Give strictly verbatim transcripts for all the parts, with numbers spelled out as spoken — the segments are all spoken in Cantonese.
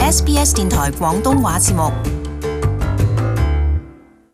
S B S 電台廣東話節目。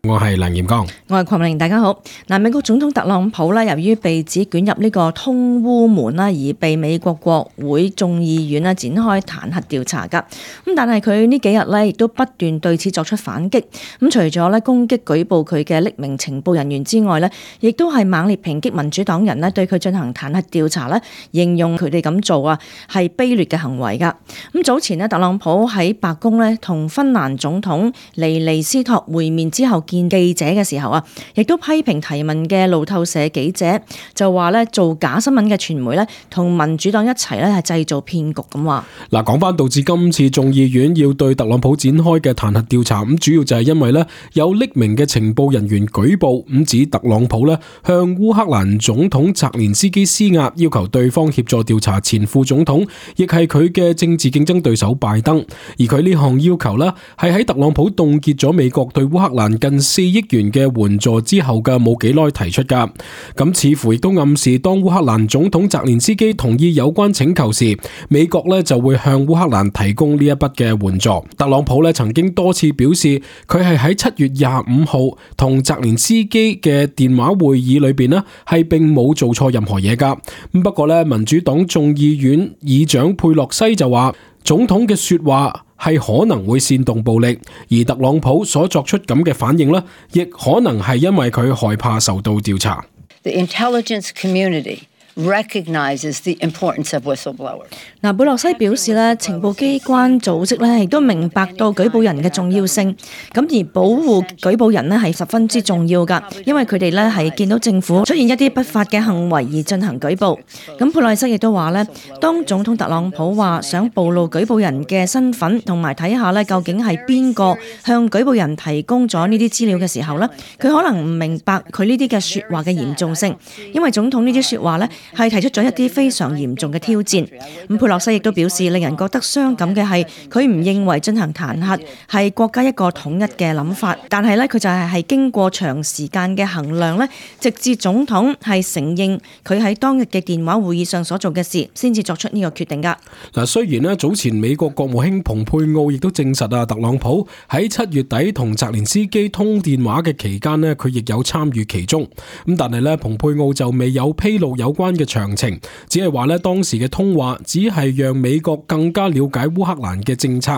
我係梁炎剛，我係鄺明玲，大家好。嗱，美國總統特朗普咧，由於被指捲入呢個通烏門啦，而被美國國會眾議院咧展開彈劾調查噶。咁但係佢呢幾日咧，亦都不斷對此作出反擊。咁除咗咧攻擊舉報佢嘅匿名情報人員之外咧，亦都係猛烈抨擊民主黨人咧對佢進行彈劾調查咧，形容佢哋咁做啊係卑劣嘅行為噶。咁早前咧，特朗普喺白宮咧同芬蘭總統尼尼斯托會面之後見記者嘅時候啊，亦都批評提問嘅路透社記者，就話咧做假新聞嘅傳媒咧，同民主黨一齊咧係製造騙局咁話。嗱，講翻導致今次眾議院要對特朗普展開嘅彈劾調查，咁主要就係因為咧有匿名嘅情報人員舉報，咁指特朗普咧向烏克蘭總統澤連斯基施壓，要求對方協助調查前副總統，亦係佢嘅政治競爭對手拜登。而佢呢項要求咧，係喺特朗普凍結咗美國對烏克蘭近四億元嘅援助之後嘅冇幾耐提出噶，咁似乎亦都暗示當烏克蘭總統澤連斯基同意有關請求時，美國咧就會向烏克蘭提供呢一筆嘅援助。特朗普咧曾經多次表示，佢係喺七月廿五號同澤連斯基嘅電話會議裏邊咧係並冇做錯任何嘢噶。咁不過咧，民主黨眾議院議長佩洛西就話，總統嘅說話係可能會煽動暴力，而特朗普所作出咁嘅反應呢，亦可能係因為佢害怕受到調查。The intelligence community recognizes the importance of whistleblowers. 嗱，貝洛西表示咧，情報機關組織咧亦都明白到舉報人嘅重要性，咁而保護舉報人咧係十分之重要噶，因為佢哋咧係見到政府出現一啲不法嘅行為而進行舉報。咁貝洛西亦都話咧，當總統特朗普話想暴露舉報人嘅身份，同埋睇下咧究竟係邊個向舉報人提供咗呢啲資料嘅時候咧，佢可能唔明白佢呢啲嘅說話嘅嚴重性，因為總統呢啲說話咧係提出咗一啲非常嚴重嘅挑戰。咁佩洛西亦都表示，令人覺得傷感嘅係佢唔認為進行彈劾係國家一個統一嘅諗法，但係咧佢就係係經過長時間嘅衡量咧，直至總統係承認佢喺當日嘅電話會議上所做嘅事，先至作出呢個決定噶。嗱，雖然咧早前美國國務卿蓬佩奧亦都證實啊，特朗普喺七月底同澤連斯基通電話嘅期間咧，佢亦有參與其中。咁但係咧，蓬佩奧就未有披露有關嘅詳情，只係話咧當時嘅通話只係讓美國更加了解烏克蘭嘅政策。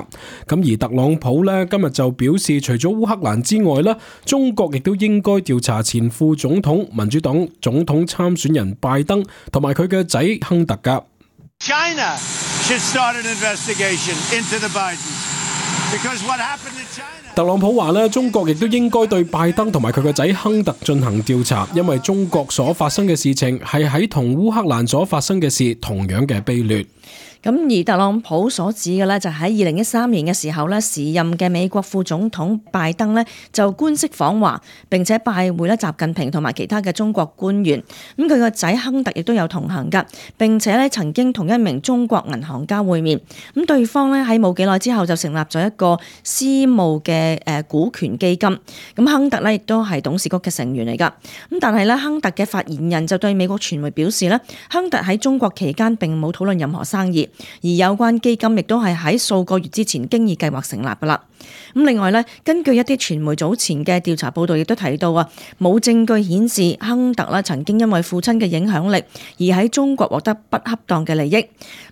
咁而特朗普咧今日就表示，除咗烏克蘭之外咧，中國亦都應該調查前副總統民主黨總統參選人拜登同埋佢嘅仔亨特噶。China should start an investigation into the Bidens because what happened in China. 特朗普話咧，中國亦都應該對拜登同埋佢個仔亨特進行調查，因為中國所發生嘅事情係喺同烏克蘭所發生嘅事同樣嘅卑劣。咁而特朗普所指嘅咧，就喺二零一三年嘅時候咧，時任嘅美國副總統拜登咧就官式訪華，並且拜會咧習近平同埋其他嘅中國官員。咁佢個仔亨特亦都有同行噶，並且咧曾經同一名中國銀行家會面。咁對方咧喺冇幾耐之後就成立咗一個私募嘅誒股權基金。咁亨特咧亦都係董事局嘅成員嚟噶。咁但係咧，亨特嘅發言人就對美國傳媒表示咧，亨特喺中國期間並冇討論任何生意。而有關基金亦都係喺數個月之前經已計劃成立噶啦。咁另外咧，根據一啲傳媒早前嘅調查報道，亦都提到啊，冇證據顯示亨特啦曾經因為父親嘅影響力而喺中國獲得不恰當嘅利益。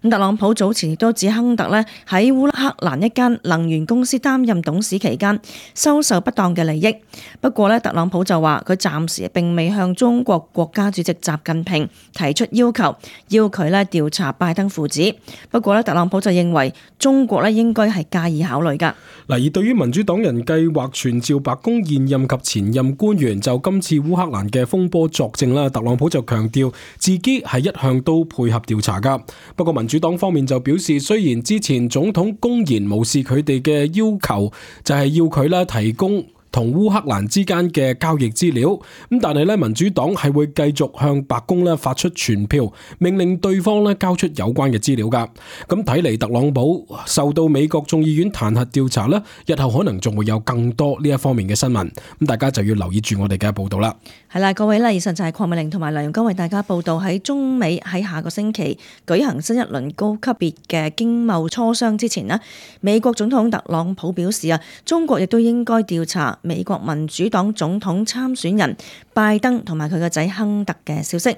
咁特朗普早前亦都指亨特咧喺烏克蘭一間能源公司擔任董事期間收受不當嘅利益。不過咧，特朗普就話佢暫時並未向中國國家主席習近平提出要求，要佢咧調查拜登父子。不過咧，特朗普就認為中國咧應該係加以考慮噶。嗱，而對於民主黨人計劃傳召白宮現任及前任官員就今次烏克蘭嘅風波作證啦，特朗普就強調自己係一向都配合調查噶。不過民主黨方面就表示，雖然之前總統公然無視佢哋嘅要求，就係要佢啦提供同烏克蘭之間嘅交易資料。咁但係咧，民主黨係會繼續向白宮咧發出傳票，命令對方咧交出有關嘅資料噶。咁睇嚟，特朗普受到美國眾議院彈劾調查咧，日後可能仲會有更多呢一方面嘅新聞。咁大家就要留意住我哋嘅報道啦。係啦，各位啦，以上就係鄺美玲同埋梁容金為大家報道喺中美喺下個星期舉行新一輪高級別嘅經貿磋商之前呢，美國總統特朗普表示啊，中國亦都應該調查美國民主黨總統參選人拜登同埋佢個仔亨特嘅消息。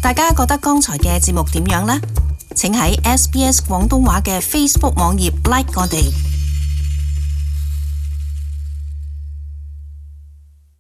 大家覺得剛才嘅節目點樣呢？請喺 S B S 廣東話嘅 Facebook 網頁 like 我哋。